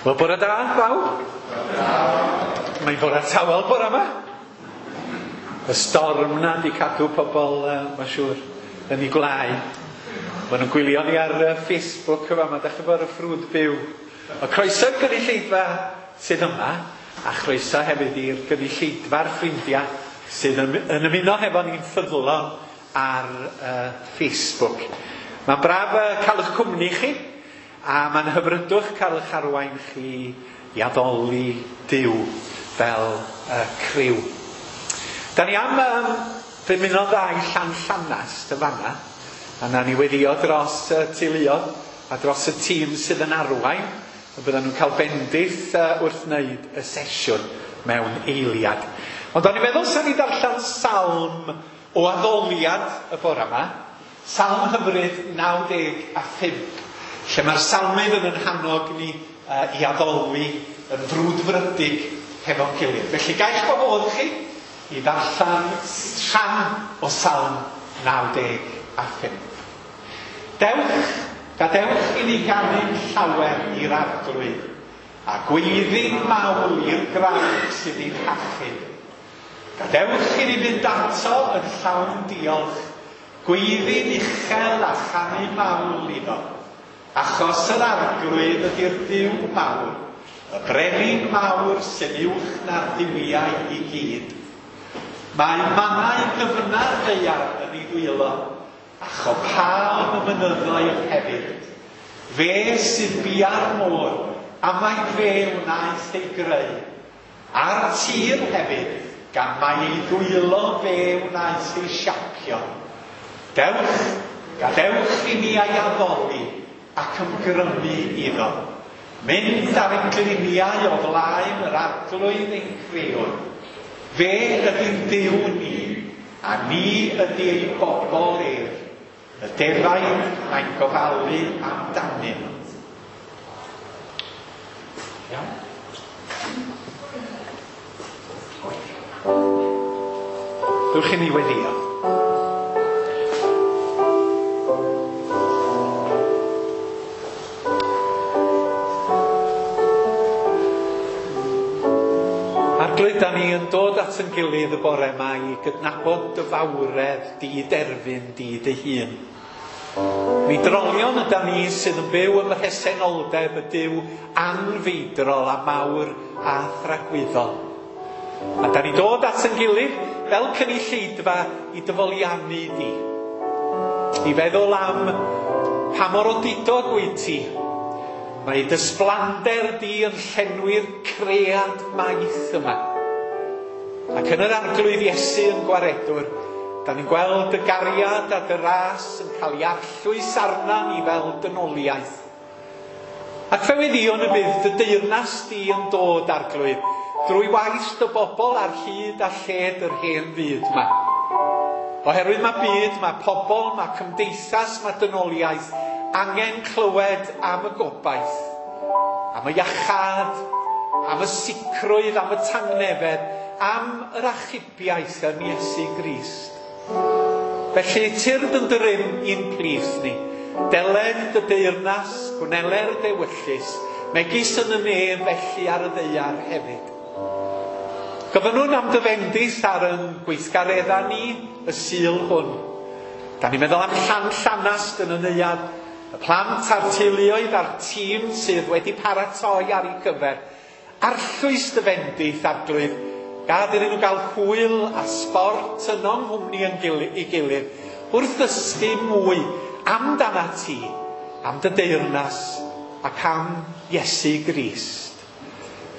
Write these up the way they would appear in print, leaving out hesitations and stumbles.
Wel, bore da, bawb. Mae'n bore tawel bore yma. Y storm na di cadw pobl, mae'n siŵr, yn ei gwlau. Maen nhw'n gwylio ni ar Facebook yma, mae ddechrau bod ar y ffrwd byw. Mae croeso i'r gynulleidfa sydd yma, a chroeso hefyd i'r gynulleidfa'r ffrindiau sydd yn ymuno hefo ni'n ffyddlon ar Facebook. Mae'n braf cael eich cwmni chi, a mae'n hyfrydwch cael eich arwain chi i addoli Duw fel criw. Da ni am ddymuno dda i Llanllanast yn fanna, a na ni weddio dros y teuluodd a dros y tîm sydd yn arwain, y byddan nhw'n cael bendith wrth wneud y sesiwn mewn eiliad. Ond o'n i'n meddwl sa'n ni darllen salm o addoliad y bore yma, Salm hyfryd 95, lle mae'r salmydd yn yn hannog ni i addoli yn frwdfrydig hefo'n gilydd. Felly gael gwahodd chi i ddarllen rhan o Salm 95. Dewch, gadewch i ni ganu'n llawer i'r arglwydd, a gweiddi'n mawl i'r graig sydd i'n hachub. Gadewch i ni fynd ato yn llawn diolch, gweiddi'n uchel a chanu mawl iddo. Achos yr arglwydd ydy'r Duw mawr, y brenin mawr sy'n uwch na'r duwiau i gyd. Mae mannau dyfna'r ddaear yn ei ddwylo, a chopaon y mynyddoedd hefyd. Fe sydd bia'r môr, a mai fe wnaeth ei greu. A'r tir hefyd, gan mai ei ddwylo fe wnaeth ei siapio. Dewch, gadewch i ni ei addoli ac ymgrymu iddo. Mynd ar ein gliniau o flaen yr arglwydd ein crewr. Fe ydy'n Duw ni, a ni ydy ei bobl ef. Y defaid mae'n gofalu amdanyn. Iawn? Dewch i ni weddio. Arglwydd, da ni yn dod at yn gilydd y bore yma i gydnabod dy fawredd, di derfyn, di dy hun. Mi drolion yda ni sydd yn byw ym mhresenoldeb y Duw anfeidrol a mawr a thragwyddol. A da ni dod at yn gilydd fel cynulleidfa i dyfoliannu di. I feddwl am pa mor odidog wyt ti. Mae dy sblander di yn llenwi'r cread maith yma. Ac yn yr arglwydd Iesu yn gwaredwr, da ni'n gweld y gariad a dy ras yn cael ei arllwys arna ni fel dynoliaeth. Ac fe weddïwn y bydd dy deyrnas di yn dod, arglwydd, drwy waith dy bobl ar hyd a lled yr hen fyd yma. Oherwydd mae byd, mae pobl, mae cymdeithas, mae dynoliaeth angen clywed am y gobaith, am y iachâd, am y sicrwydd, am y tangnefedd, am yr achubiaeth yn Iesu Grist. Felly, tyrd yn dy rym i'n plith ni. Deled dy deyrnas, gwneler dewyllys, megis yn y nef felly ar y ddaear hefyd. Gofynnwn am dy fendith ar yn gweithgareddau ni y Sul hwn. Da ni'n meddwl am Llanllanast yn y neuadd, y plant a'r teuluoedd a'r tîm sydd wedi paratoi ar ei gyfer. Arllwys dy fendith, arglwydd, gad iddyn nhw gael hwyl a sbort yno yng nghwmni yn ei gilydd, wrth ddysgu mwy amdanat ti, am dy deyrnas ac am Iesu Grist.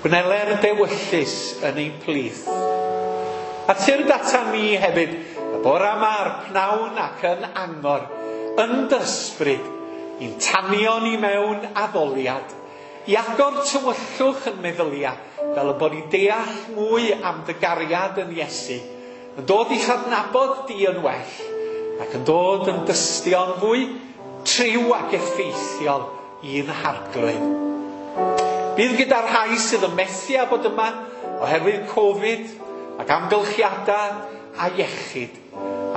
Gwneler dewyllys yn ein plith. A tyrd ata ni hefyd, y bore yma a'r pnawn ac yn angor, yn dy ysbryd, i'n tanio ni mewn addoliad, i agor tywyllwch yn meddylia, fel y bod ni'n deall mwy am dy gariad yn Iesu, yn dod i'ch adnabod di yn well, ac yn dod yn dystion fwy triw ac effeithiol i'n harglwydd. Bydd gyda'r rhai sydd yn methu â bod yma oherwydd Covid ac amgylchiadau a iechyd.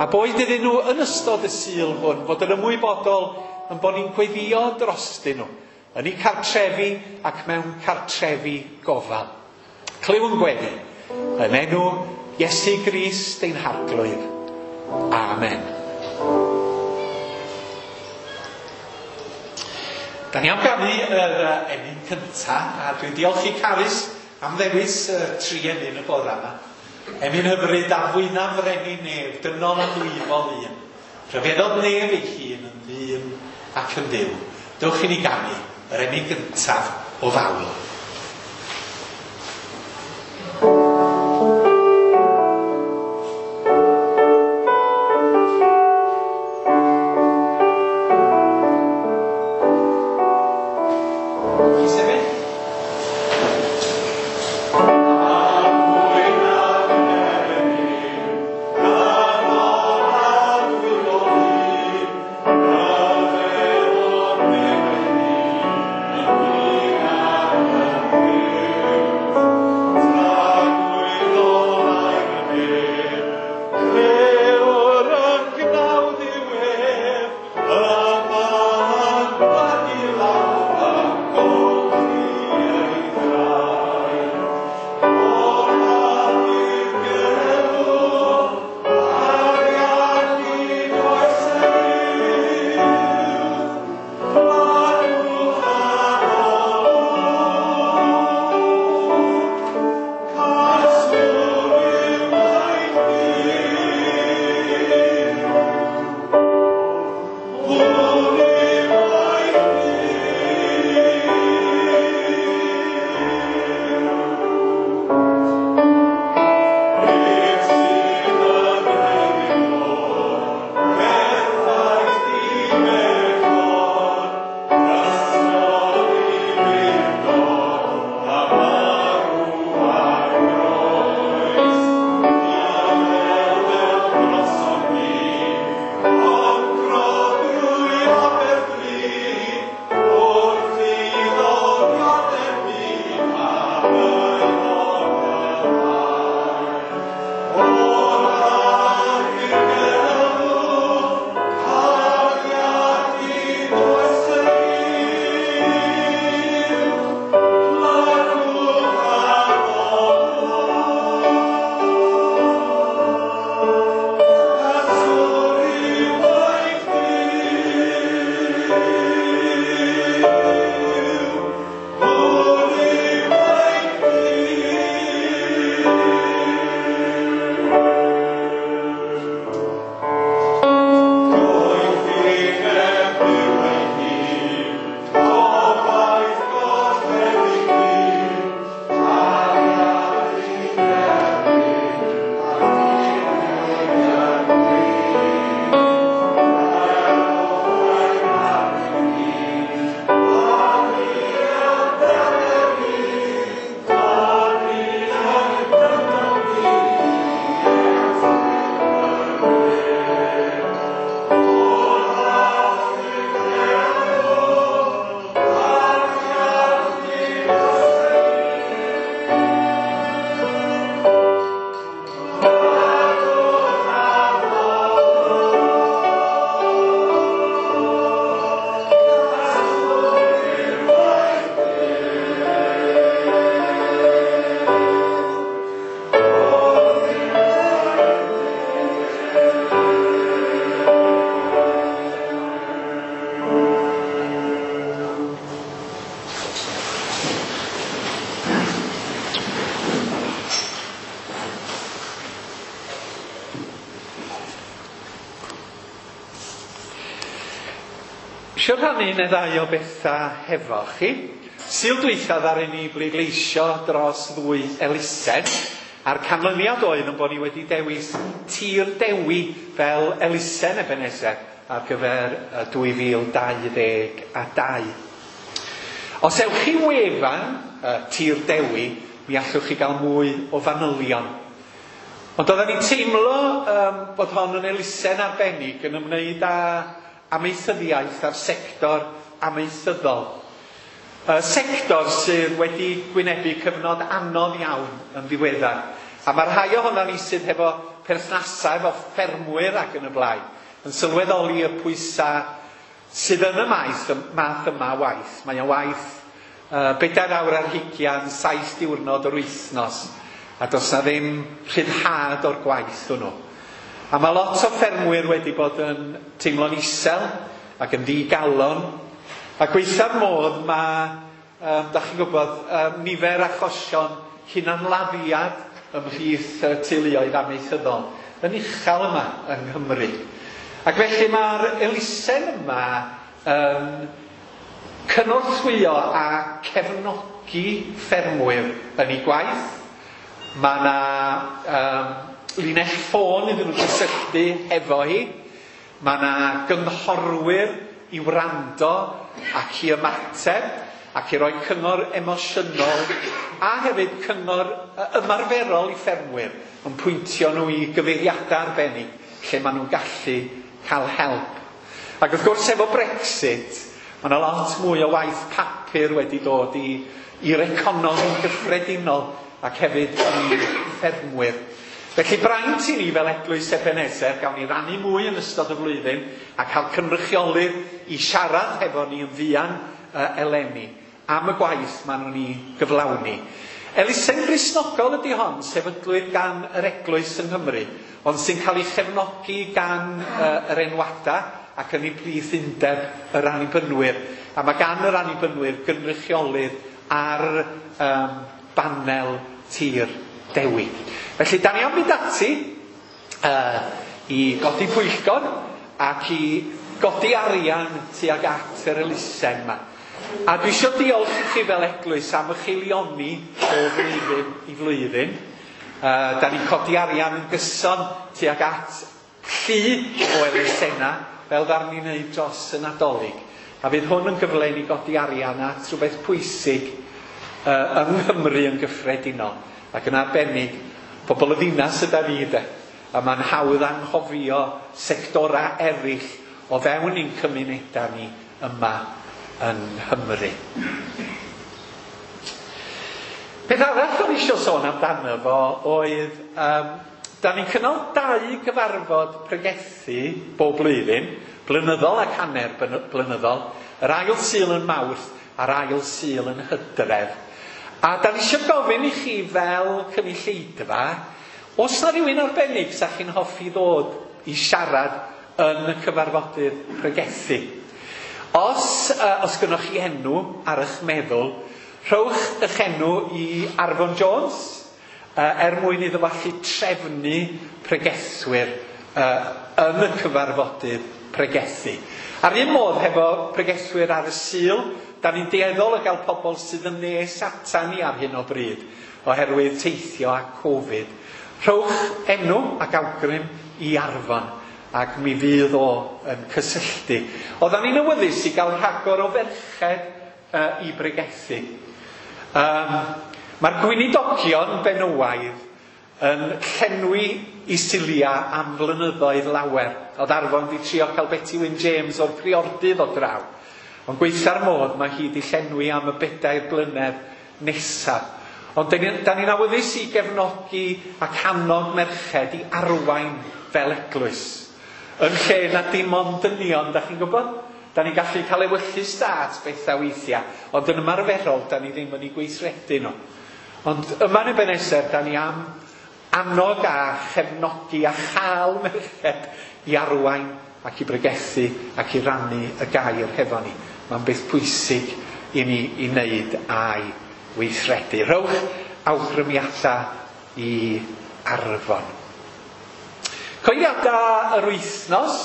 A boed iddyn nhw yn ystod y Sul hwn fod yn ymwybodol yn bod ni'n gweddïo drostyn nhw, yn eu cartrefi ac mewn cartrefi gofal. Clyw yn gweddi, yn enw Iesu Grist ein Harglwydd. Amen. Da ni am ganu yr emyn cynta, a dwi'n diolch i Carys am ddewis y tri emyn y bore yma. Emyn hyfryd a fwynaf frenin nef, dynol a dwyfol un. Rhyfeddodd nef ei hun yn ddyn ac yn Dduw. Dewch i ni ganu yr emyn gyntaf o fawl. Isio rhannu un neu ddau o bethau hefo chi. Sul dwytha ddaru ni bleidleisio dros ddwy elusen, a'r canlyniad oedd yn bod ni wedi dewis Tir Dewi fel elusen Ebenezer ar gyfer 2022. Os ewch chi wefan Tir Dewi, mi allwch chi gael mwy o fanylion. Ond oedden ni'n teimlo bod hon yn elusen arbennig yn ymwneud â amaethyddiaeth a'r sector amaethyddol. Y sector sydd wedi gwynebu cyfnod anodd iawn yn ddiweddar. A mae rhai ohonon ni sydd hefo perthnasau efo ffermwyr ac yn y blaen yn sylweddoli y pwysau sydd yn y maes, y math yma o waith. Mae o'n waith 4 awr ar hugian, 7 diwrnod o'r wythnos, a does na ddim rhyddhad o'r gwaith hwnnw. A mae lot o ffermwyr wedi bod yn teimlo'n isel ac yn ddigalon. A gweitha'r modd mae, da chi'n gwybod, nifer achosion hunanladdiad ymhlith teuluoedd amaethyddol yn uchel yma yng Nghymru. Ac felly mae'r elusen yma yn cynorthwyo a cefnogi ffermwyr yn ei gwaith. Mae yna linell ffôn iddyn nhw gysylltu hefo hi. Mae yna gynghorwyr i wrando ac i ymateb ac i roi cyngor emosiynol a hefyd cyngor ymarferol i ffermwyr yn pwyntio nhw i gyfeiriadau arbennig lle maen nhw'n gallu cael help. Ac wrth gwrs efo Brexit, mae yna lot mwy o waith papur wedi dod i'r economi'n gyffredinol ac hefyd i ffermwyr. Felly braint i ni fel Eglwys Ebenezer, gawn ni rannu mwy yn ystod y flwyddyn a cael cynrychiolydd i siarad hefo ni yn fuan eleni am y gwaith maen nhw'n ei gyflawni. Elusen Gristnogol ydy hon, sefydlwyd gan yr Eglwys yng Nghymru, ond sy'n cael ei chefnogi gan yr enwadau ac yn ei plith undeb yr Annibynwyr. A mae gan yr Annibynwyr gynrychiolydd ar banel Tir Dewi. Felly, da ni am fynd ati i godi pwyllgor ac i godi arian tuag at yr elusen yma. A dwi eisiau diolch i chi fel eglwys am eich eilioni o flwyddyn i flwyddyn. Da ni'n codi arian yn gyson tuag at llu o elusennau fel ddaru ni wneud dros y Nadolig. A fydd hwn yn gyfle i ni godi arian at rhywbeth pwysig yng Nghymru yn gyffredinol. Ac yn arbennig, pobl y ddinas yda ni de. A mae'n hawdd anghofio sectorau eraill o fewn ein cymunedau ni yma yng Nghymru. Peth arall o'n eisiau sôn amdano fo oedd, da ni'n cynnal 2 gyfarfod pregethu bob blwyddyn, blynyddol ac hanner blynyddol, yr ail Sul yn Mawrth a'r ail Sul yn Hydref. A da ni eisiau gofyn i chi fel cynulleidfa, oes na rhywun arbennig sa chi'n hoffi ddod i siarad yn y cyfarfodydd pregethu? Os gynnoch chi enw ar eich meddwl, rhowch eich enw i Arfon Jones, er mwyn iddo fo allu trefnu pregethwyr yn y cyfarfodydd pregethu. A'r un modd hefo pregethwyr ar y Sul, da ni'n dueddol o gael pobl sydd yn nes ata ni ar hyn o bryd, oherwydd teithio a Covid. Rhowch enw ac awgrym i Arfon, ac mi fydd o yn cysylltu. Oeddan ni'n awyddus i gael rhagor o ferched i bregethu. Mae'r gweinidogion benywaidd yn llenwi i Sulia am flynyddoedd lawer. Oedd Arfon di trio cael Betty Wyn James o'r Priordy ddod draw. Ond gweitha'r modd, mae hi di llenwi am y 4 blynedd nesaf. Ond da ni'n awyddus i gefnogi ac annog merched i arwain fel eglwys. Yn lle na dim ond dynion, da chi'n gwybod? Da ni'n gallu cael ewyllys da at bethau weithiau, ond yn ymarferol, da ni ddim yn ei gweithredu nhw. Ond yma yn Ebenezer, da ni am annog a chefnogi a chael merched i arwain ac i bregethu ac i rannu y gair hefo ni. Mae'n beth pwysig i ni i wneud a'i weithredu. Rhowch awgrymiadau i Arfon. Coediadau yr wythnos,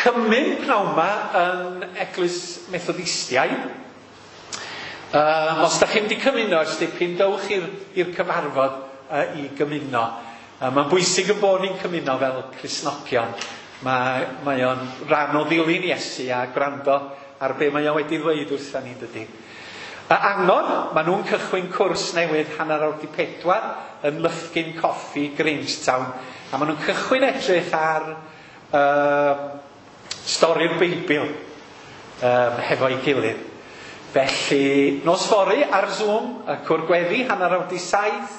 cymun pnawn 'ma yn Eglwys Methodistiaid. Os da chi'n mynd i cymuno ers dipyn, dowch i'r cyfarfod i gymuno. Mae'n bwysig yn bod ni'n cymuno fel Cristnogion. Mae o'n rhan o ddilyn Iesu a gwrando ar be mae o wedi ddweud wrtha ni, dydy. Angor, maen nhw'n cychwyn cwrs newydd 3:30 yn Lyfgyn Coffi, Grangetown. A maen nhw'n cychwyn edrych ar stori'r Beibl hefo'i gilydd. Felly, nos fory ar Zoom, y cwr gweddi, 6:30.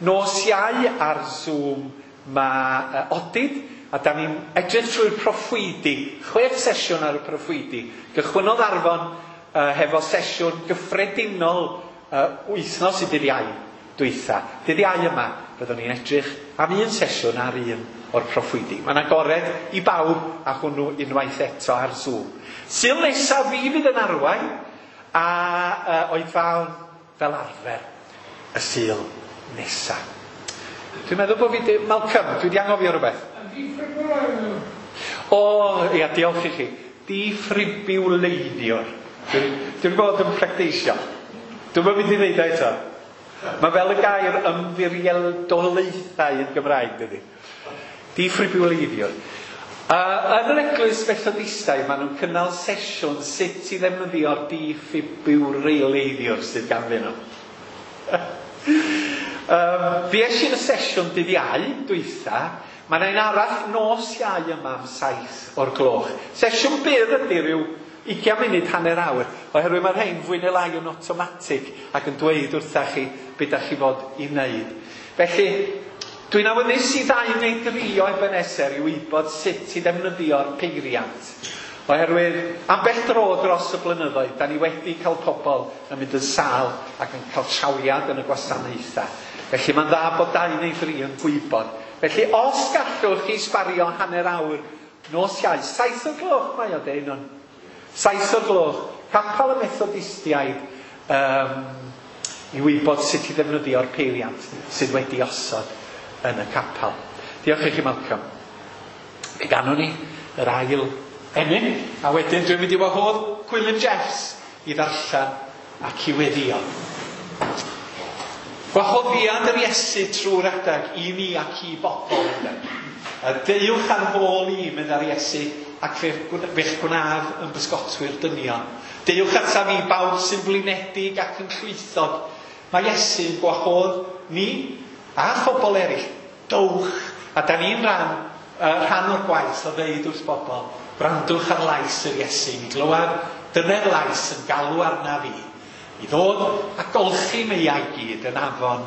Nos Iau ar Zoom mae Odid A da ni'n edrych trwy'r proffwydi, 6 sesiwn ar y proffwydi. Gychwynnodd Arfon hefo sesiwn gyffredinol wythnos i dydd Iau dwytha. Dydd Iau yma, byddwn ni'n edrych am un sesiwn ar un o'r proffwydi. Mae'n agored i bawb a hwnnw unwaith eto ar Zoom. Sul nesaf fi fydd yn arwain a oedfaon fel arfer y Sul nesaf. Dwi'n meddwl bod fi... Malcolm, dwi wedi anghofio rhywbeth. O, ia, diolch i chi. Diffribiwleiddiwr. Dwi'n bod yn practeisio. Dwi'n mynd i ddeud o eto. Mae fel y gair ymddiriedolaethau yn Gymraeg, dydy. Diffribiwleiddiwr. Yn yr eglwys Methodistaidd, maen nhw'n cynnal sesiwn sut i ddefnyddio'r diffribiwleiddiwr sydd ganddyn nhw. Fi es i'n y sesiwn dydd Iau, dwytha. Mae yna un arall nos Iau yma am 7 o'r gloch. Sesiwn byr ydy rhyw 20 munud, hanner awr, oherwydd mae'r rhain fwy neu lai yn awtomatig ac yn dweud wrtha chi be da chi fod i wneud. Felly, dwi'n awyddus i 2 neu 3 o Ebenezer i wybod sut i ddefnyddio'r peiriant. Oherwydd, ambell dro dros y blynyddoedd, da ni wedi cael pobl yn mynd yn sâl ac yn cael trawiad yn y gwasanaethau. Felly mae'n dda bod 2 neu 3 yn gwybod. Felly, os gallwch chi sbario hanner awr nos Iau, 7 o'r gloch mae o deud nhw'n. 7 o'r gloch, capel y Methodistiaid, i wybod sut i ddefnyddio'r peiriant sydd wedi osod yn y capel. Diolch i chi, Malcolm. Fe ganwn ni yr ail emyn, a wedyn dwi'n mynd i wahodd Gwilym Jeffs i ddarllen ac i weddio. Gwahoddiad yr Iesu trwy'r adag i ni ac i bobl. A deuwch ar fôl i, meddai'r Iesu, ac fe'ch gwnaf yn bysgotwyr dynion. Deuwch ataf i bawb sy'n flinedig ac yn llwythog. Mae Iesu'n gwahodd ni a phobl eraill. Dowch. A da ni'n rhan o'r gwaith o ddeud wrth bobl, gwrandwch ar lais yr Iesu. Mi glywaf dyne'r lais yn galw arna fi i ddod a golchi meiau gyd yn afon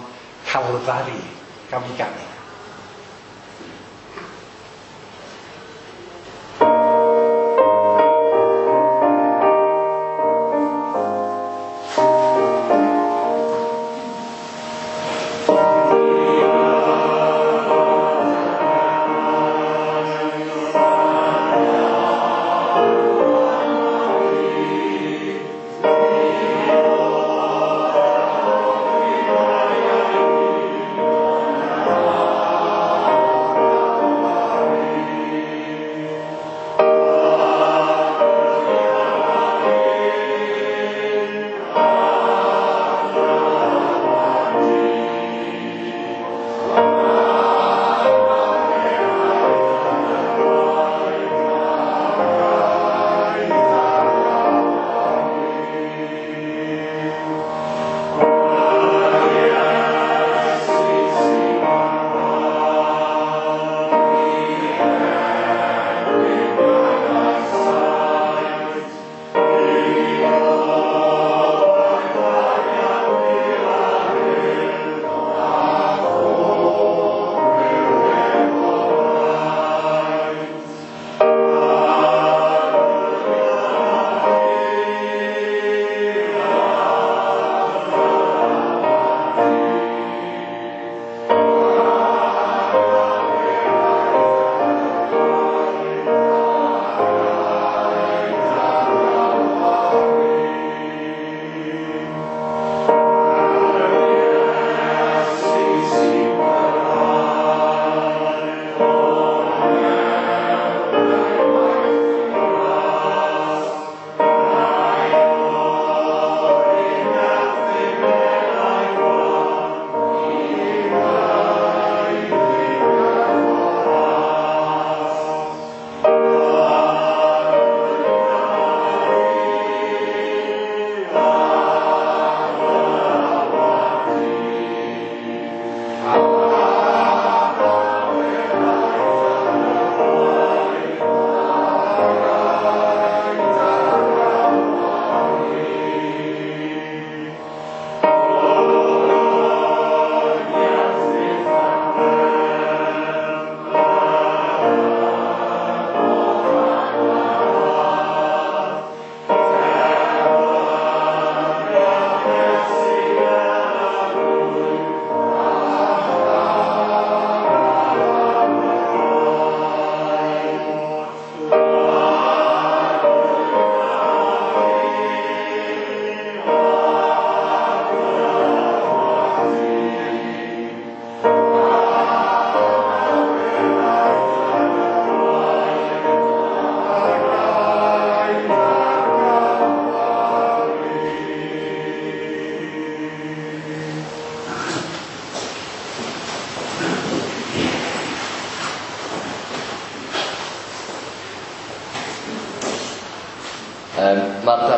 Calfari. Gawn ni ganu. Oh.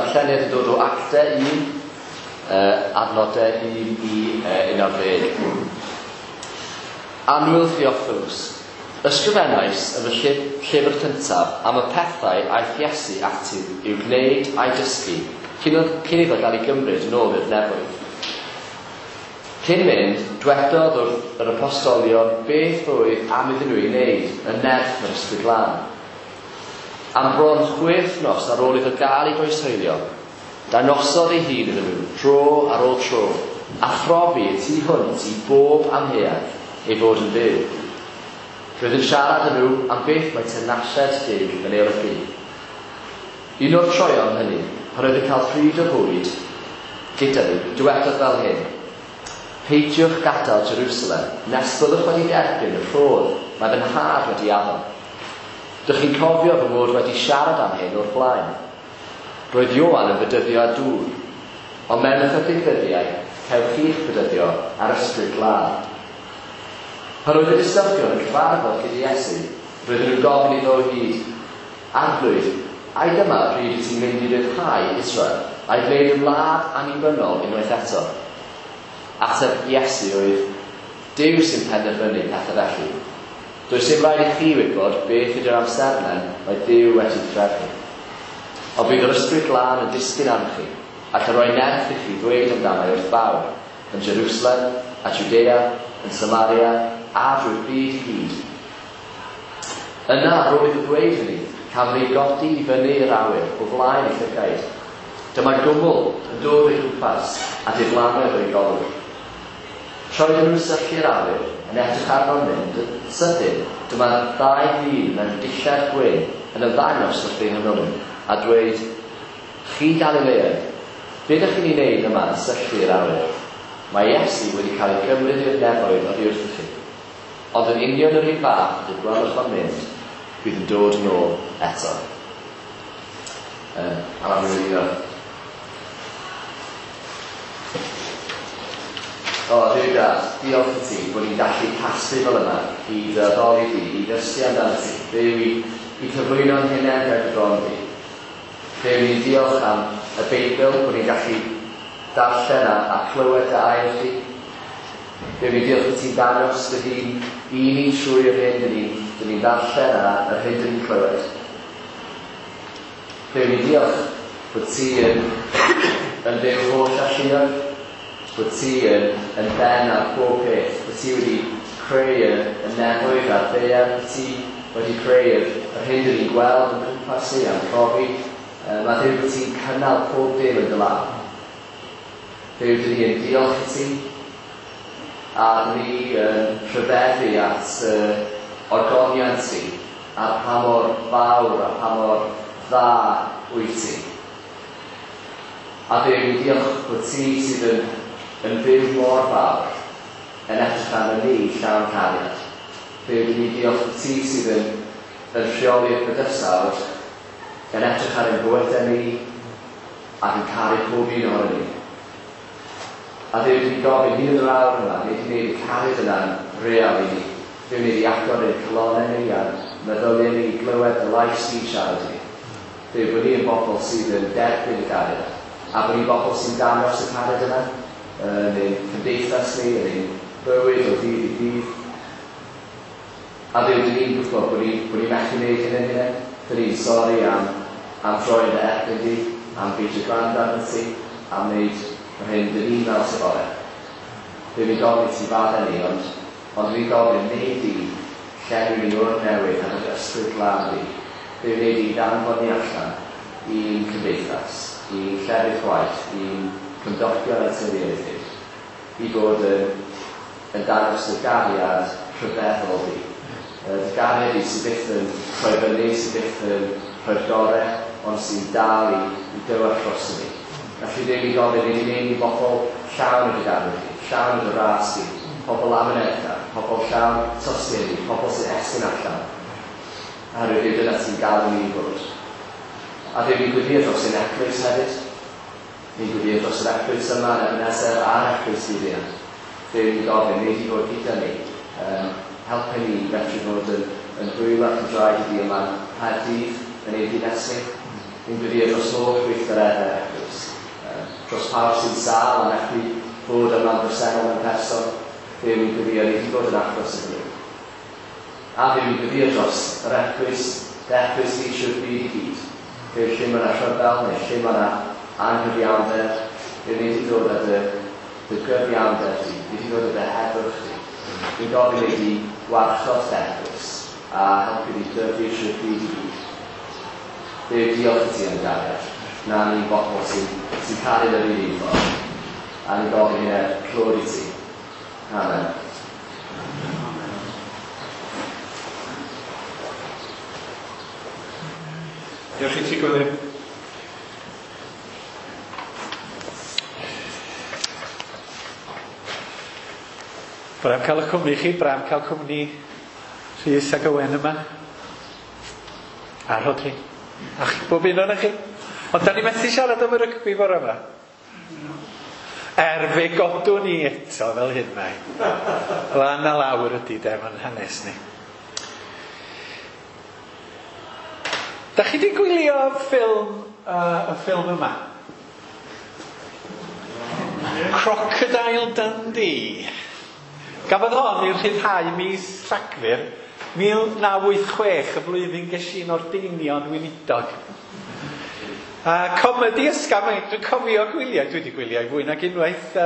Darlleniad yn dod o Actau 1, adnodau 1 i 11. Annwyl Theophilus, ysgrifennais yn fy llyfr cyntaf am y pethau aeth Iesu ati i'w gwneud a'i dysgu cyn iddo gael ei gymryd yn ôl i'r nefoedd. Cyn mynd, dwedodd wrth yr apostolion beth oedd am iddyn nhw ei wneud yn nerth yr Ysbryd Glân. Am bron 6 wythnos ar ôl iddo gael ei groeshoelio, dangosodd ei hun iddyn nhw dro ar ôl tro, a phrofi y tu hwnt i bob amheuaeth ei fod yn fyw. Roedd yn siarad â nhw am beth mae teyrnasiad Duw yn ei olygu. Un o'r troeon hynny, pan oedd yn cael pryd o fwyd gyda nhw, dywedodd fel hyn: Peidiwch gadael Jerusalem nes byddwch wedi derbyn y rhodd mae fy nhad wedi addo. Dych chi'n cofio fy mod wedi siarad am hyn o'r blaen. Roedd Ioan yn bedyddio â dŵr, ond mewn ychydig ddyddiau cewch chi'ch bedyddio â'r Ysbryd Glân. Pan oedd y disgyblion yn cyfarfod gyda Iesu, roedden nhw'n gofyn iddo o hyd, Arglwydd, ai dyma pryd wyt ti'n mynd i ryddhau Israel, a'i gwneud yn wlad annibynnol unwaith eto? Ateb Iesu oedd, Duw sy'n penderfynu pethau felly. Does dim rhaid i chi wybod beth ydy'r amserlen mae Duw wedi threfnu. Ond bydd yr Ysbryd Glân yn disgyn arnoch chi, ac yn rhoi nerth i chi ddweud amdano wrth bawb, yn Jerusalem, a Jwdea, yn Samaria, a drwy'r byd i gyd. Yna, ar ôl iddo ddweud hynny, cafodd ei godi i fyny i'r awyr o flaen eu llygaid. Dyma gwmwl yn dod o'i gwmpas, a diflannodd o'i golwg. Tra oedden nhw'n syllu i'r awyr, yn edrych arno'n mynd, yn sydyn, dyma ddau ddyn mewn dillad gwyn yn ymddangos wrth eu hymyl nhw, a dweud, Chi Galileaid, be dych chi'n ei wneud yma yn syllu i'r awyr? Mae Iesu wedi cael ei gymryd i'r nefoedd oddi wrthych chi. Ond yn union yr un fath ag y gwelwch o'n mynd, bydd yn dod yn ôl eto. A mae'n mynd i O, Duw Dad, diolch i ti bod ni'n gallu casglu fel yma i dy addoli di, i ddysgu amdano ti, Duw, i cyflwyno'n hunain ger dy bron di. Duw, ni'n diolch am y Beibl, bod ni'n gallu darllen a clywed dy air di. Duw, ni'n diolch i ti'n dangos dy hun i ni trwy yr hyn dyn ni'n dyn ni'n ddarllen a yr hyn dyn ni'n clywed. Duw, ni'n diolch bod ti yn, yn Dduw holl alluog, bod ti yn, yn ben ar pob peth, bod ti wedi creu y nefoedd a'r ddaear, bod ti wedi creu yr hyn dyn ni'n gweld yn cwmpas ni a'n profi. Mae Duw bod ti'n cynnal pob dim yn dy law. Duw, dyn ni yn diolch i ti, a dyn ni yn rhyfeddu at ogoniant ti, a pa mor fawr a pa mor dda wyt ti. A Duw, ni'n diolch bod ti sydd yn, yn fyw mor fawr yn edrych arno ni llawn cariad. Duw, dyn ni'n diolch bod ti sydd yn, yn rheoli'r bydysawd, yn edrych ar ein bywydau ni, ac yn caru pob un ohono ni. A Duw, dyn ni'n gofyn hyd yn yr awr yma, neu di wneud y cariad yna'n real i ni. Duw, neu di agor ein calonnau ni a'n meddyliau ni i glywed dy lais di'n siarad i ni. Duw, bod ni yn bobl sydd yn derbyn y gariad, a bod ni'n bobl sy'n dangos y cariad yna yn ein cymdeithas ni, yn ein bywyd o ddydd i ddydd. A Duw, dyn ni'n gwybod bod ni'n bod ni methu wneud hyn yn hunain. Dyn ni'n sori am droi yn dy erbyn di, am beidio gwrando arno ti, am wneud yr hyn dyn ni'n meddwl sydd orau. Duw, ni'n gofyn i ti faddau ni, ond ni'n gofyn, wnei di llenwi ni o'r newydd am yr Ysbryd Glân di. Duw, wnei di ddanfon ni allan i'n cymdeithas, i'n llefydd gwaith, i'n cymdogion a'n teuluoedd ni, i fod yn, yn dangos dy gariad rhyfeddol di. Dy gariad di sydd byth yn rhoi fyny, sydd byth yn rhoi'r gorau, ond sy'n dal i dywallt dros ni. Felly Duw, ni'n gofyn, wnei di wneud ni bobl llawn o dy gariad di, llawn o dy ras di, pobl amyneddgar, pobl llawn tosturi, pobl sy'n estyn allan. Oherwydd Duw, dyna ti'n galw ni i fod. A Duw, ni'n gweddïo dros ein eglwys hefyd. Ni'n gweddïo dros yr eglwys yma yn Ebenezer a'r eglwys fyd-eang. Duw, ni'n gofyn, wnei di fod gyda ni, helpu ni i fedru fod yn, yn ddwylo ac yn draed i di yma yng Nghaerdydd, yn ein dinas ni. Ni'n gweddio dros holl weithgareddau'r eglwys. Dros pawb sy'n sâl a methu bod yma'n bresennol mewn person, Duw, ni'n gweddio i ti fod yn achos iddyn nhw. A Dduw, ni'n gweddio dros yr eglwys, dy eglwys di trwy'r byd i gyd. Duw, lle mae yna rhyfel neu lle mae yna anghyfiawnder, Duw, nei di ddod â dy, dy gyfiawnder di, nei di ddod â dy heddwch di. Ni'n gofyn nei di warchod dy eglwys a helpu di dyfu trwy'r byd i gyd. Duw, diolch i ti am dy gariad. Na ni'n bobl sy'n sy'n caru yn yr un un ffordd. A ni'n gofyn hyn er clod i ti. Amen. Diolch i ti, Gwilym. Braf cael y cwmni chi, braf cael cwmni Rhys ac Owen yma. A Rhodri. A chi, bob un ohonoch chi. Ond da ni methu siarad am y rygbi bore yma. Er fe godwn ni eto fel hyn mae. Lan a lawr ydy de, mae'n hanes ni. Da chi wedi gwylio ffilm, y ffilm yma? Crocodile Dundee. Gafodd hon ei rhyddhau mis Rhagfyr 1986, y flwyddyn ges i'n ordeinio'n weinidog. A comedi ysgafn, dwi'n cofio gwyliau, dwi wedi gwyliau fwy nag unwaith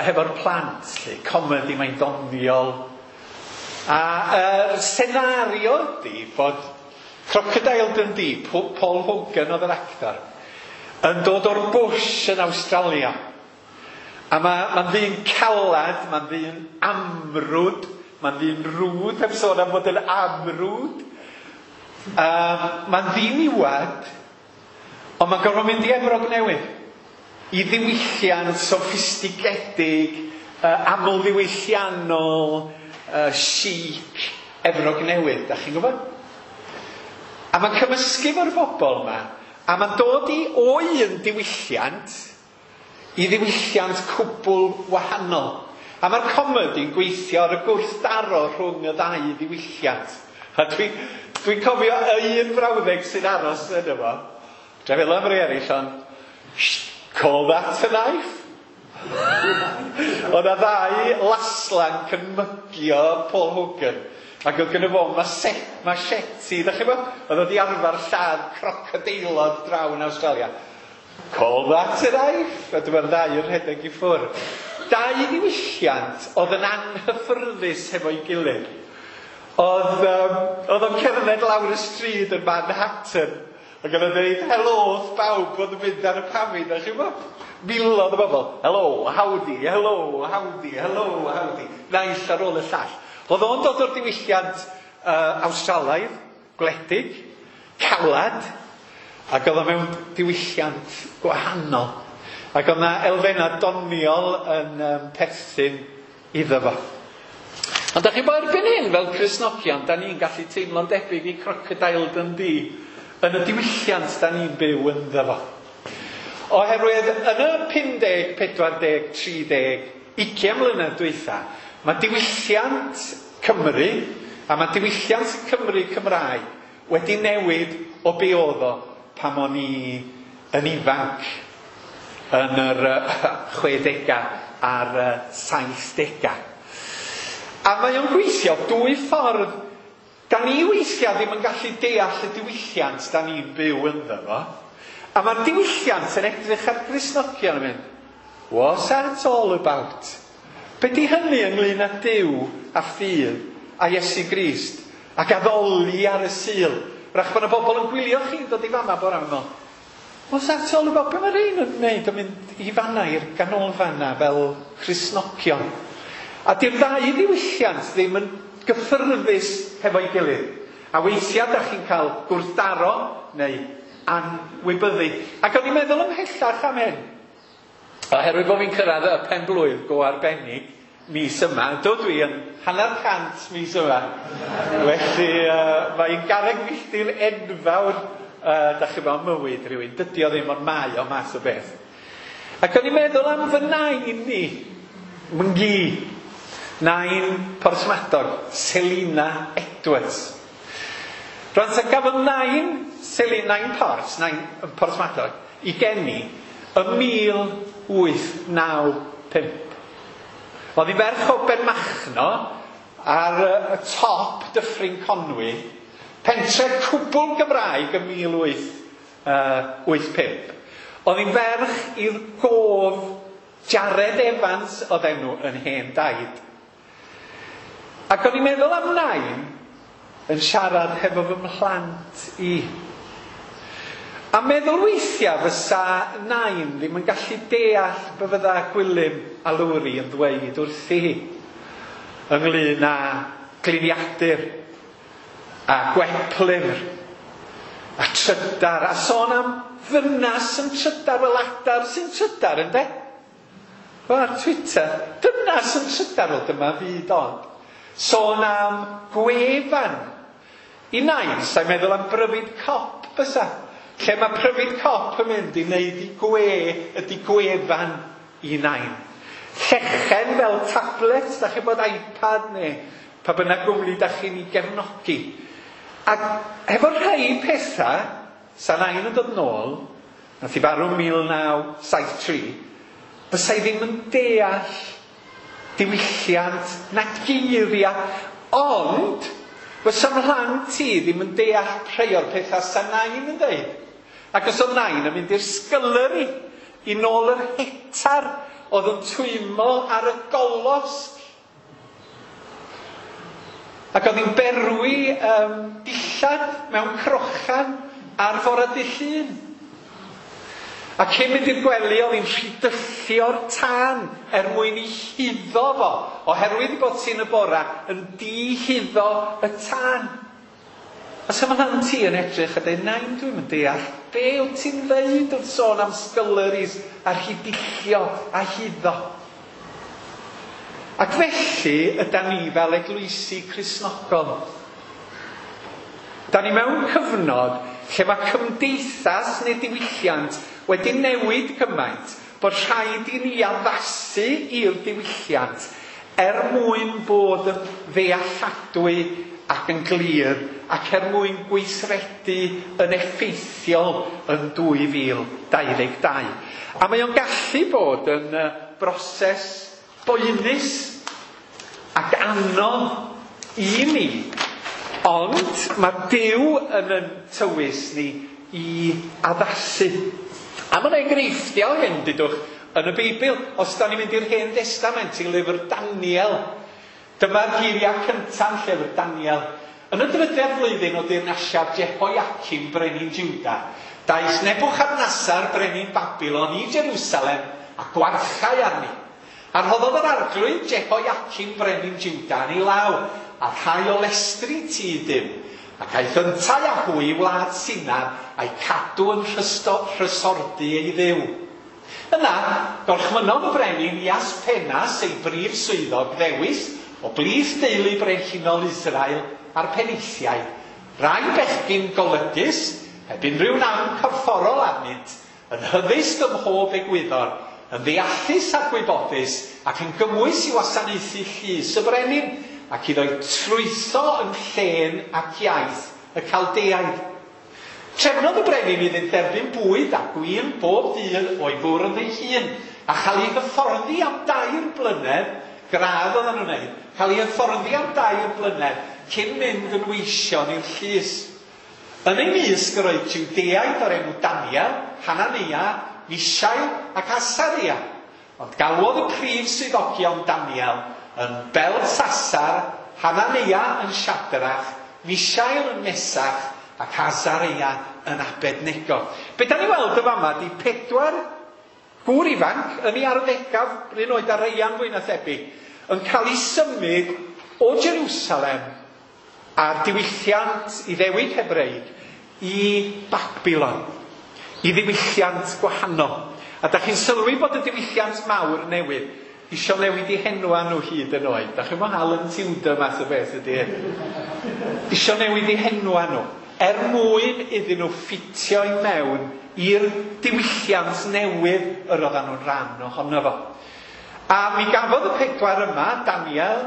hefo'r plant, lle comedi mae'n doniol. A yr senario ydy bod Crocodile Dundee, Paul Hogan oedd yr actor, yn dod o'r bush yn Awstralia. A mae'n ddyn calad, mae'n ddyn amrwd, mae'n ddyn rwd, heb sôn am fod yn amrwd. Mae'n ddiniwad, ond mae'n gorfod mynd i Efrog Newydd, i ddiwylliant soffistigedig, amlddiwylliannol, chic, Efrog Newydd, da chi'n gwybod? A mae'n cymysgu fo'r bobl yma, a mae'n dod i o un diwylliant i ddiwylliant cwbl wahanol. A mae'r comedi'n gweithio ar y gwrthdaro rhwng y ddau ddiwylliant. A dwi'n cofio un frawddeg sy'n aros yn efo. Dwi'n meddwl am rei eraill, ond call that a knife? Oedd 'na ddau laslanc yn mygio Paul Hogan. Ac oedd gynno fo machete, da chi'n gwybod? Oedd o 'di arfer lladd crocodeilod draw yn Awstralia. Call that a knife? A dyma'r ddau yn rhedeg i ffwrdd. Dau ddiwylliant oedd yn anghyffyrddus hefo'i gilydd. Oedd o'n cerdded lawr y stryd yn Manhattan ac oedd o'n dweud helo wrth bawb oedd yn mynd ar y pafin, da chi'n gwybod? Miloedd o bobl. Hello, howdy, hello, howdy, hello, howdy. Naill ar ôl y llall. Oedd o'n dod o'r diwylliant Awstralaidd, gwledig, calad, ac oedd o mewn diwylliant gwahanol. Ac oedd yna elfennau doniol yn perthyn iddo fo. Ond da chi'n bod erbyn hyn, fel Cristnogion, da ni'n gallu teimlo'n debyg i Crocodile Dundee yn y diwylliant da ni'n byw ynddo fo. Oherwydd yn y 50, 40, 30, 20 mlynedd dwytha, mae diwylliant Cymru a mae diwylliant Cymru Cymraeg wedi newid o be oedd o pan o'n i yn ifanc yn yr 60au a'r 70au. A mae o'n gweithio dwy ffordd. Da ni weithiau ddim yn gallu deall y diwylliant da ni'n byw ynddo fo. A mae'r diwylliant yn edrych ar Gristnogion yn mynd, what's that all about? Be di hynny ynglyn â Duw a ffydd a Iesu Grist ac addoli ar y Sul? Wrach bod yna bobl yn gwylio chi'n dod i fanna bore yma. What's that all about? Be mae rhain yn wneud yn mynd i fanna i'r ganolfan na fel Cristnogion? A di'r ddau ddiwylliant ddim yn gyffyrddus hefo'i gilydd. A weithiau da chi'n cael gwrthdaro neu anwybyddu. Ac o'n i'n meddwl ymhellach am hyn. Oherwydd bod fi'n cyrraedd y pen-blwydd go arbennig mis yma, dod dwi yn 150 mis yma. Felly mae'n garreg filltir enfawr, da chi'n mewn mywyd rhywun. Dydy o ddim ond mae o math o beth. Ac o'n i'n meddwl am fy nain ni, myngi, nain Porthmadog, Selina Edwards. Rwan ta gafodd nain Selin Nain Port, Nain Porthmadog, i geni ym 1895. Oedd hi ferch o Benmachno ar y top Dyffryn Conwy, pentre cwbl Gymraeg ym 1885. Oedd hi'n ferch i'r gof Jared Evans oedd enw yn hen daid. Ac o'n i'n meddwl am Nain yn siarad hefo fy mhlant i. A meddwl weithiau fysa Nain ddim yn gallu deall be fydda Gwilym a Lowri yn ddweud wrthi hi ynglyn â gliniadur a gweplyfr a trydar a sôn am ddynas yn trydar fel adar sy'n trydar, ynde? Fel ar Twitter, dynas yn trydar, wel dyma fyd od. Sôn am gwefan. I Nain, sa'n meddwl am bryfid cop fysa. Lle mae pryfid cop yn mynd i wneud i gwe ydy gwefan i Nain. Llechen fel tablet, da chi'n bod iPad neu pa bynnag gwmni da chi'n ei gefnogi. Ac efo rhai pethau, sa Nain yn dod nôl, nath i farw 1973, fysa i ddim yn deall diwylliant na geiriau, ond fysa mhlant i ddim yn deall rhai o'r pethau sa Nain yn dweud. Ac os oedd Nain yn mynd i'r scullery i nôl yr hetar oedd yn twymo ar y golosg. Ac oedd hi'n berwi dillad mewn crochan ar fore dydd Llun. A cyn mynd i'r gwely oedd hi'n rhidyllio'r tân er mwyn i huddo fo, oherwydd bod ti'n y bora yn dihuddo y tân. A sa mhlant ti yn edrych a dweud, Nain, dwi'm yn deall, be wyt ti'n ddeud wrth sôn am sculleries a rhidillio a huddo? Ac felly ydan ni fel eglwysi Cristnogol. Da ni mewn cyfnod lle mae cymdeithas neu diwylliant wedi newid gymaint bod rhaid i ni addasu i'r diwylliant er mwyn bod yn ddealladwy ac yn glir ac er mwyn gweithredu yn effeithiol yn 2022. A mae o'n gallu bod yn broses boenus ac anodd i ni, ond mae Duw yn yn tywys ni i addasu. A mae'n enghreifftiau hyn, dydwch, yn y Beibl. Os da ni'n mynd i'r Hen Destament, i lyfr Daniel, dyma'r geiriau cyntaf yn llyfr Daniel. Yn y drydedd flwyddyn o deyrnasiad Jehoiacim brenin Juda, daeth Nebuchadnezzar brenin Babilon i Jerusalem a gwarchau arni. A rhoddodd yr arglwydd Jehoiacim brenin Juda yn ei law, a rhai o lestri tŷ Duw, ac aeth yntau â hwy i wlad Sinar a'i cadw yn rhysordy ei dduw. Yna, gorchmynnodd y brenin i Aspenas ei brif swyddog ddewis o blith deulu brenhinol Israel a'r penaethiaid, rai bechgyn golygus, heb unrhyw nam corfforol arnynt, yn hyddysg ym mhob egwyddor, yn ddeallus a gwybodus, ac yn gymwys i wasanaethu llys y brenin, ac iddo'i trwytho yn llên ac iaith y Caldeaid. Trefnodd y brenin iddynt dderbyn bwyd a gwin bob dydd o'i fwrdd ei hun, a chael ei hyfforddi am 3 blynedd, gradd oedden nhw'n wneud, cael ei hyfforddi am 3 blynedd cyn mynd yn weision i'r llys. Yn ei mysg yr oedd Jwdeaid o'r enw Daniel, Hanania, Mishael ac Asaria. Ond galwodd y prif swyddogion Daniel yn Beltsasar, Hanania yn Shadrach, Mishael yn Mesach ac Asaria yn Abednego. Be da ni weld y fama di 4 gŵr ifanc yn ei arddegaf, run oed ar Reian fwy na thebyg, yn cael ei symud o Jerusalem a'r diwylliant Iddewig Hebreig i Babilon, i ddiwylliant gwahanol. A da chi'n sylwi bod y diwylliant mawr newydd isio newid i henwa nhw hyd yn oed. Da chi'n mo Alan Tudor math o beth ydy hyn. Isio newid i henwa nhw er mwyn iddyn nhw ffitio i mewn i'r diwylliant newydd yr oedden nhw'n rhan ohono fo. A mi gafodd y 4 yma, Daniel,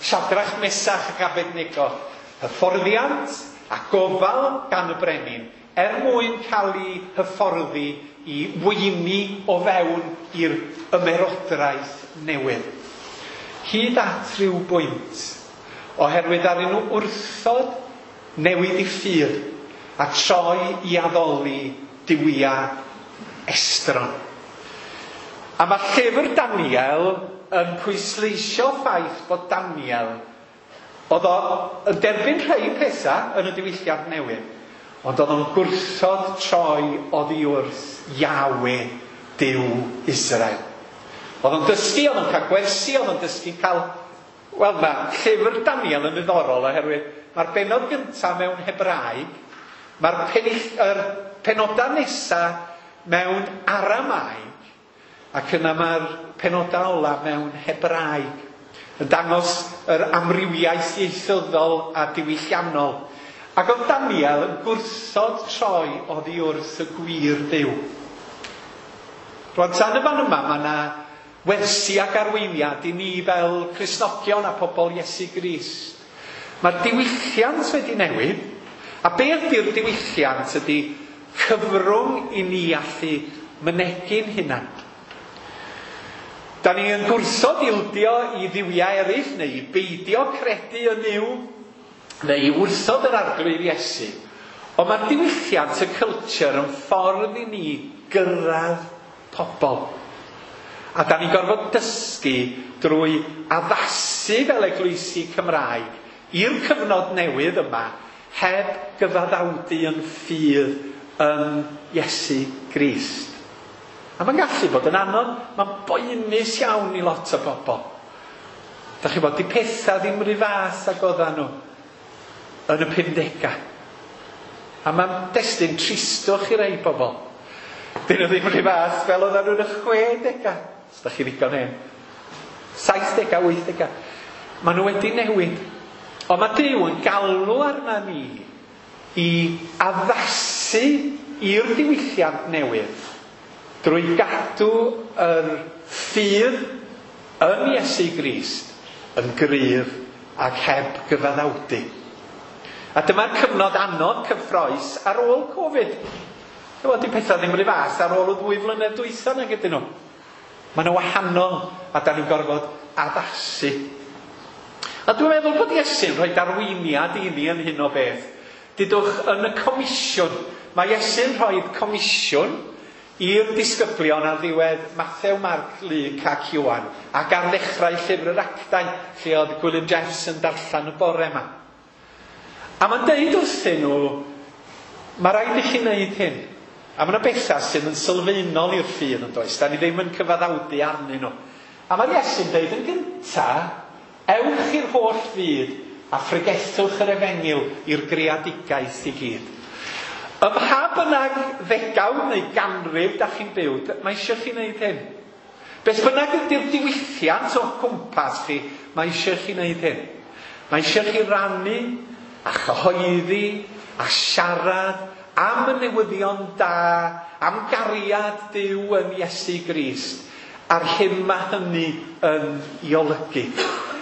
Shadrach, Mesach ac Abednego, hyfforddiant, a gofal gan y brenin er mwyn cael ei hyfforddi i weini o fewn i'r ymerodraeth newydd. Hyd at ryw bwynt, oherwydd ar nhw wrthod newid i ffydd a troi i addoli duwiau estron. A mae llyfr Daniel yn pwysleisio ffaith bod Daniel oedd o yn derbyn rhai pethau yn y diwylliant newydd, ond oedd o'n gwrthod troi oddi wrth Yahweh, Duw Israel. Oedd o'n dysgu, oedd o'n cael gwersi, oedd o'n dysgu cael... Wel, mae llyfr Daniel yn ddiddorol oherwydd mae'r bennod gyntaf mewn Hebraeg, mae'r penodau nesaf mewn Aramaeg, ac yna mae'r penodau ola mewn Hebraeg, yn dangos yr amrywiaeth ieithyddol a diwylliannol. Ac oedd Daniel yn gwrthod troi oddi wrth y gwir Dduw. Rwan, tan y fan yma, mae yna wersi ac arweiniad i ni fel Cristnogion a pobl Iesu Grist. Mae'r diwylliant wedi newid, a be ydy'r diwylliant ydy cyfrwng i ni allu mynegi'n hunan. Da ni yn gwrthod ildio i dduwiau eraill, neu i beidio credu yn Nuw, neu i wrthod yr Arglwydd Iesu. Ond mae'r diwylliant, y culture, yn ffordd i ni gyrraedd pobl. A da ni'n gorfod dysgu drwy addasu fel eglwysi Cymraeg i'r cyfnod newydd yma heb gyfaddawdu yn ffydd yn Iesu Grist. A mae'n gallu bod yn anodd, mae'n boenus iawn i lot o bobl. Da chi bod, di pethau ddim rhy fath ag oedden nhw yn y 50au. A mae'n destun tristwch i rai bobl. Dyn nhw ddim rhy fath fel oedden nhw yn y 60au. Os da chi ddigon hen. 70au, 80au. Maen nhw wedi newid. Ond mae Duw yn galw arna ni i addasu i'r diwylliant newydd drwy gadw yr ffydd yn Iesu Grist yn gryf ac heb gyfaddawdu. A dyma'r cyfnod anodd cyffrous ar ôl Covid. Wel, di pethau ddim rhy fath ar ôl y 2 flynedd dwytha nag ydyn nhw. Maen nhw wahanol a da ni'n gorfod addasu. A dwi'n meddwl bod Iesu'n rhoi darweiniad i ni yn hyn o beth. Dudwch yn y comisiwn. Mae Iesu'n rhoi comisiwn i'r disgyblion ar ddiwedd Mathew, Marc, Luc ac Ioan, ac ar ddechrau llyfr yr Actau, lle oedd Gwilym Jeffs yn darllen y bore yma. A mae'n deud wrthyn nhw, mae rhaid i chi wneud hyn. A mae yna bethau sydd yn sylfaenol i'r ffydd yn does, da ni ddim yn cyfaddawdu arnyn nhw. A mae'r Iesu'n deud yn gynta, ewch i'r holl fyd a phregethwch yr efengyl i'r greadigaeth i gyd. Ym mha bynnag ddegawd neu ganrif da chi'n byw, mae eisiau chi wneud hyn. Beth bynnag ydy'r diwylliant o'ch cwmpas chi, mae eisiau chi wneud hyn. Mae eisiau chi rannu a chyhoeddi a siarad am y newyddion da, am gariad Duw yn Iesu Grist, a'r hyn mae hynny yn ei olygu.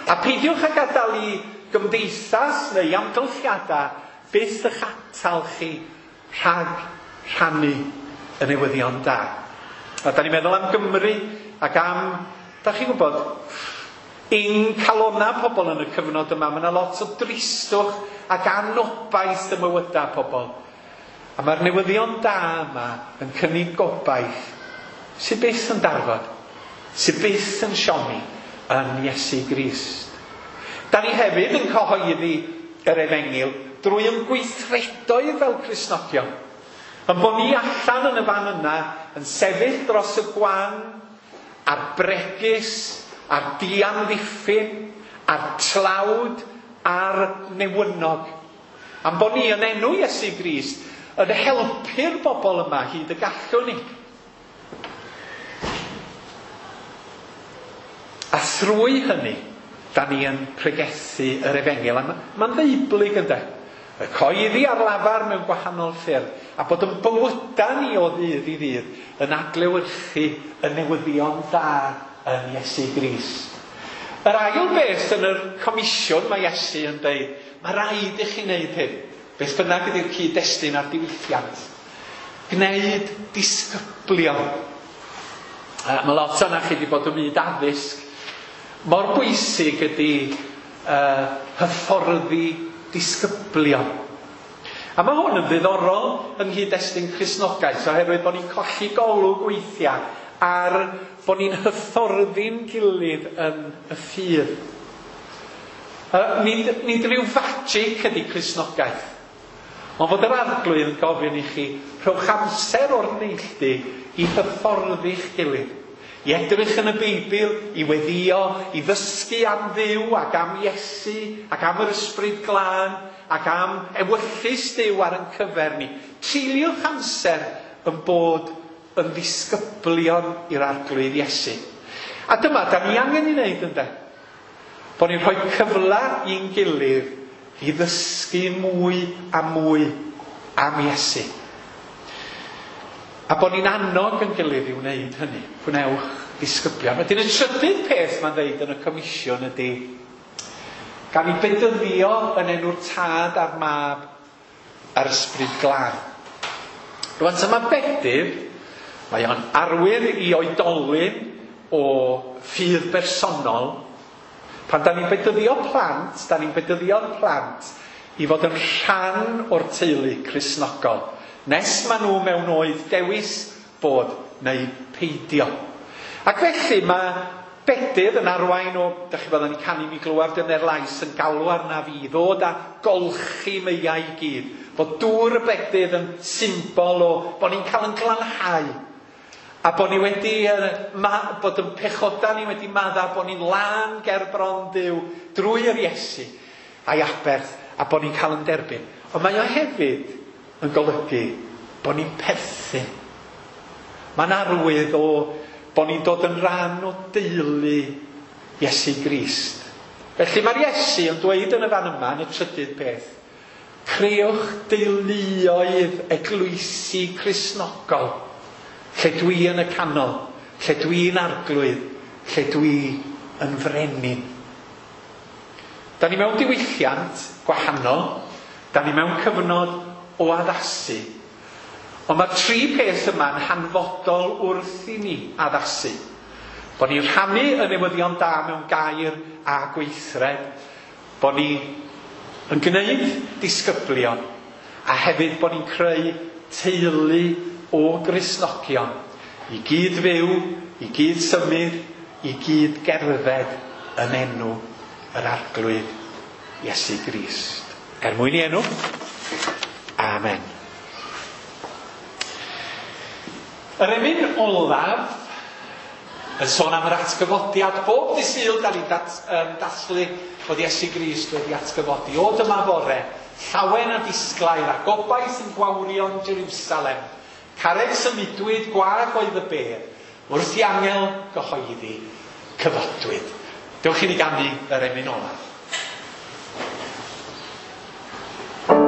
A peidiwch â gadael i gymdeithas neu amgylchiadau byth eich atal chi rhag rhannu y newyddion da. A da ni'n meddwl am Gymru ac am, da chi'n gwybod, ein calona pobl yn y cyfnod yma. Mae yna lot o dristwch ac anobaith ym mywydau pobl. A mae'r newyddion da yma yn cynnig gobaith sydd byth yn darfod, sydd byth yn siomi yn Iesu Grist. Da ni hefyd yn cyhoeddi yr efengyl drwy yn gweithredoedd fel Cristnogion. Yn bod ni allan yn y fan yna yn sefyll dros y gwan, a'r bregus, a'r diamddiffyn, a'r tlawd, a'r newynog. Am bod ni yn enw Iesu Grist yn helpu'r bobl yma hyd y gallwn ni. A thrwy hynny, da ni yn pregethu yr efengyl. A mae'n ddeublyg ynde. Y coeddi ar lafar mewn gwahanol ffyrdd, a bod yn bywydau ni o ddydd i ddydd yn adlewyrchu y newyddion da yn Iesu Grist. Yr ail beth yn yr comisiwn mae Iesu yn dweud, mae rhaid i chi wneud hyn. Beth bynnag ydy'r cyd-destun a'r diwylliant. Gwneud disgyblion. Mae lot o'na chi wedi bod ym myd addysg. Mor bwysig ydy hyfforddi disgyblion. A mae hwn yn ddiddorol yng nghyd-destun Cristnogaeth, oherwydd bod ni'n colli golwg weithiau ar bod ni'n hyfforddi'n gilydd yn y ffydd. Nid rhyw fagic ydy Cristnogaeth, ond fod yr Arglwydd yn gofyn i chi, rhowch amser o'r neilltu i hyfforddi'ch gilydd, i edrych yn y Beibl, i weddïo, i ddysgu am Dduw ac am Iesu ac am yr Ysbryd Glân ac am ewyllys Duw ar ein cyfer ni. Treuliwch amser yn bod yn ddisgyblion i'r Arglwydd Iesu. A dyma, da ni angen i wneud ynde? Bod ni'n rhoi cyfle i'n gilydd i ddysgu mwy a mwy am Iesu. A bod ni'n annog yn gilydd i wneud hynny. Gwnewch ddisgyblion. Wedyn y trydydd peth mae'n dweud yn y comisiwn ydy gan i bedyddio yn enw'r Tad a'r Mab a'r Ysbryd Glân. Rwan dyma bedydd, mae o'n arwydd i oedolyn o ffydd bersonol. Pan da ni'n bedyddio plant, da ni'n bedyddio'r plant i fod yn rhan o'r teulu Cristnogol. Nes maen nhw mewn oed dewis bod neu peidio. Ac felly mae bedydd yn arwain o, da chi byddwn ni'n canu mi glywaf dyner lais yn galw arna fi, ddod a golchi meiau i gyd. Bod dŵr y bedydd yn symbol o bod ni'n cael yn glanhau. A bod ni wedi, bod yn pechoda ni wedi madda, bod ni'n lân ger bron Duw drwy yr Iesu a'i aberth, a bod ni'n cael yn derbyn. Ond mae o hefyd yn golygu bod ni'n perthyn. Mae'n arwydd o bod ni'n dod yn rhan o deulu Iesu Grist. Felly mae'r Iesu yn dweud yn y fan yma, yn y trydydd peth, creuwch deuluoedd eglwysi Cristnogol, lle dwi yn y canol, lle dwi'n arglwydd, lle dwi yn frenin. Da ni mewn diwylliant gwahanol, da ni mewn cyfnod o addasu. Ond mae'r tri peth yma'n hanfodol wrth i ni addasu. Bod ni'n rhannu y newyddion da mewn gair a gweithred, bod ni yn gwneud disgyblion, a hefyd bod ni'n creu teulu o Gristnogion i gyd fyw, i gyd symud, i gyd gerdded yn enw yr Arglwydd Iesu Grist. Er mwyn i enw, amen. Yr emyn olaf yn sôn am yr atgyfodiad. Bob dydd Sul da ni'n dathlu bod Iesu Grist wedi atgyfodi. O dyma fore, llawen a disglair a gobaith yn gwawrio'n Jerusalem. Carreg symudwyd, gwag oedd y bedd, wrth i angel gyhoeddi, cyfodwyd. Dewch i ni ganu yr emyn olaf. Jerusalem.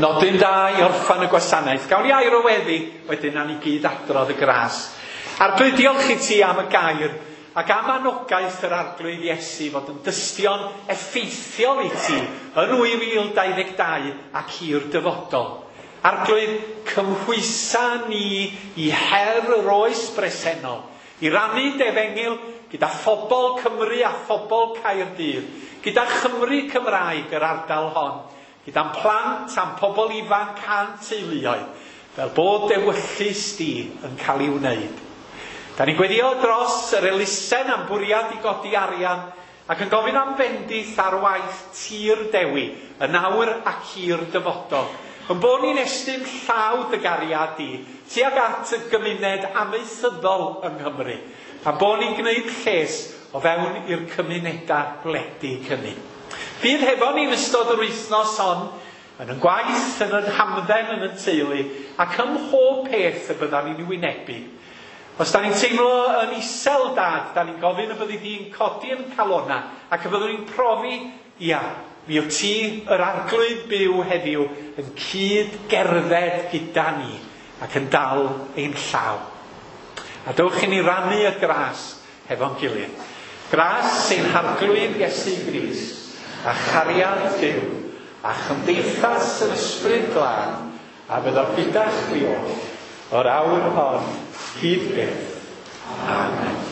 Nodyn da i orffan y gwasanaeth. Gawn ni air o weddi, wedyn nawn ni gyd adrodd y gras. Arglwydd, diolch i ti am y gair ac am anogaeth yr Arglwydd Iesu fod yn dystion effeithiol i ti yn 2022 ac i'r dyfodol. Arglwydd, cymhwysa ni i her yr oes bresennol, i rannu dy efengyl gyda phobl Cymru a phobl Caerdydd, gyda Chymru Cymraeg yr ardal hon, gyda'n plant a'n pobl ifanc a'n teuluoedd, fel bod d'ewyllys di yn cael ei wneud. Da ni'n gweddio dros yr elusen am bwriad i godi arian ac yn gofyn am fendith ar waith Tir Dewi, yn awr ac i'r dyfodol. Yn bod ni'n estyn llaw dy gariad di tuag at y gymuned amaethyddol yng Nghymru, a bod ni'n gwneud lles o fewn i'r cymunedau gwledig hynny. Bydd hefo ni'n ystod yr wythnos hon, yn y gwaith, yn yn hamdden, yn y teulu, ac ym mhob peth y byddan ni'n wynebu. Os da ni'n teimlo yn isel, Dad, da ni'n gofyn y byddi di'n codi yn calona ac y byddwn ni'n profi, ia, mi wyt ti yr Arglwydd byw heddiw yn cyd gerdded gyda ni ac yn dal ein llaw. A dowch i ni rannu y gras hefo'n gilydd. Gras ein Harglwydd Iesu Grist, a chariad Duw, a chymdeithas yr Ysbryd Glân, a fyddo gyda chwi oll, o'r awr hon, hyd byth. Amen.